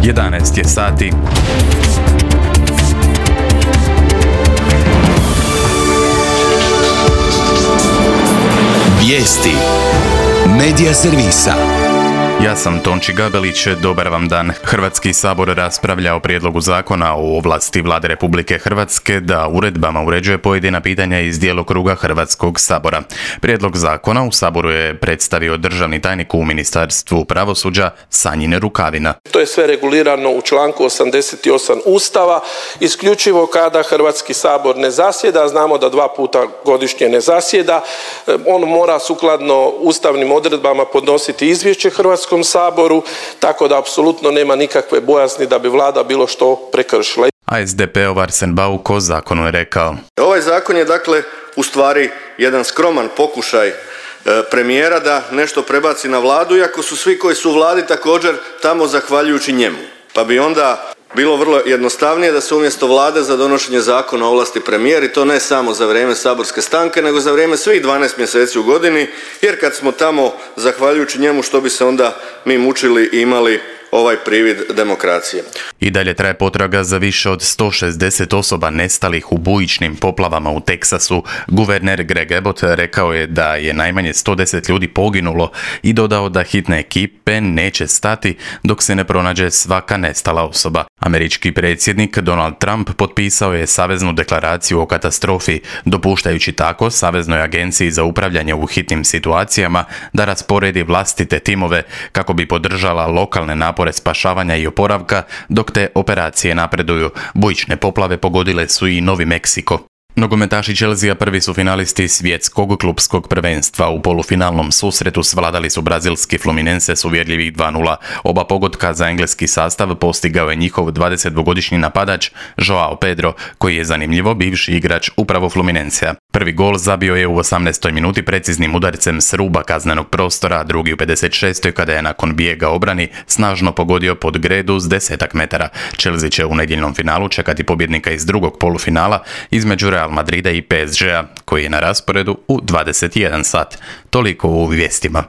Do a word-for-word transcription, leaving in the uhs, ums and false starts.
jedanaest je sati. Vijesti Medija servisa. Ja sam Tonči Gabelić, dobar vam dan. Hrvatski sabor raspravlja o prijedlogu zakona o ovlasti Vlade Republike Hrvatske da uredbama uređuje pojedina pitanja iz djelokruga Hrvatskog sabora. Prijedlog zakona u saboru je predstavio državni tajnik u Ministarstvu pravosuđa Sanjin Rukavina. To je sve regulirano u članku osamdeset osam Ustava, isključivo kada Hrvatski sabor ne zasjeda, znamo da dva puta godišnje ne zasjeda, on mora sukladno ustavnim odredbama podnositi izvješće Hrvatskom saboru, tako da apsolutno nema nikakve bojazni da bi vlada bilo što prekršila. A es de peov Arsen Bauk o zakonu je rekao: Ovaj zakon je dakle u stvari jedan skroman pokušaj premijera da nešto prebaci na vladu, iako su svi koji su u vladi također tamo zahvaljujući njemu. Pa bi onda bilo vrlo jednostavnije da se umjesto vlade za donošenje zakona ovlasti premijer, i to ne samo za vrijeme saborske stanke, nego za vrijeme svih dvanaest mjeseci u godini, jer kad smo tamo zahvaljujući njemu, što bi se onda mi mučili i imali ovaj privid demokracije. I dalje traje potraga za više od sto šezdeset osoba nestalih u bujičnim poplavama u Teksasu. Guverner Greg Abbott rekao je da je najmanje sto deset ljudi poginulo i dodao da hitne ekipe neće stati dok se ne pronađe svaka nestala osoba. Američki predsjednik Donald Trump potpisao je saveznu deklaraciju o katastrofi, dopuštajući tako Saveznoj agenciji za upravljanje u hitnim situacijama da rasporedi vlastite timove kako bi podržala lokalne napore spašavanja i oporavka dok te operacije napreduju. Bujične poplave pogodile su i Novi Meksiko. Nogometaši Chelsea prvi su finalisti svjetskog klupskog prvenstva. U polufinalnom susretu svladali su brazilski Fluminense s uvjerljivih dva nula. Oba pogotka za engleski sastav postigao je njihov dvadesetdvogodišnji napadač Joao Pedro, koji je zanimljivo bivši igrač upravo Fluminensea. Prvi gol zabio je u osamnaestoj minuti preciznim udarcem s ruba kaznenog prostora, a drugi u pedeset šestoj kada je nakon bijega obrani snažno pogodio pod gredu s desetak metara. Chelsea će u nedjeljnom finalu čekati pobjednika iz drugog polufinala između Real Madrida i pe es gea, koji je na rasporedu u dvadeset jedan sat. Toliko u vijestima.